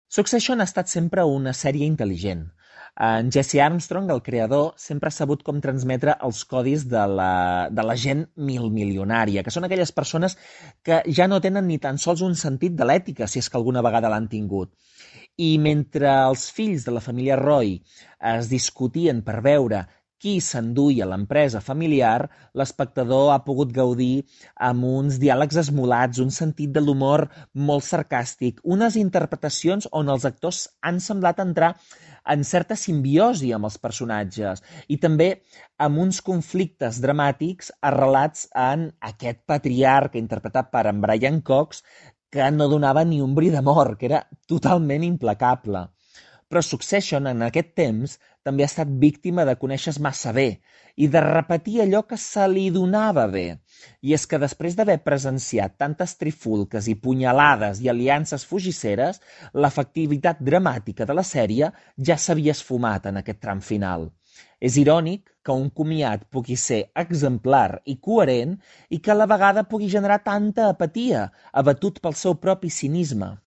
Succession ha estat sempre una sèrie intel·ligent. En Jesse Armstrong, el creador, sempre ha sabut com transmetre els codis de la gent milmilionària, que són aquelles persones que ja no tenen ni tan sols un sentit de l'ètica, si és que alguna vegada l'han tingut. I mentre els fills de la família Roy es discutien per veure qui s'enduia l'empresa familiar, l'espectador ha pogut gaudir amb uns diàlegs esmolats, un sentit de l'humor molt sarcàstic, unes interpretacions on els actors han semblat entrar en certa simbiosi amb els personatges i també amb uns conflictes dramàtics arrelats en aquest patriarca interpretat per en Brian Cox que no donava ni un bri d'amor, que era totalment implacable. Però Succession, en aquest temps, també ha estat víctima de conèixer massa bé i de repetir allò que se li donava bé. I és que després d'haver presenciat tantes trifulques i punyalades i aliances fugisseres, l'efectivitat dramàtica de la sèrie ja s'havia esfumat en aquest tram final. És irònic que un comiat pugui ser exemplar i coherent i que a la vegada pugui generar tanta apatia, abatut pel seu propi cinisme.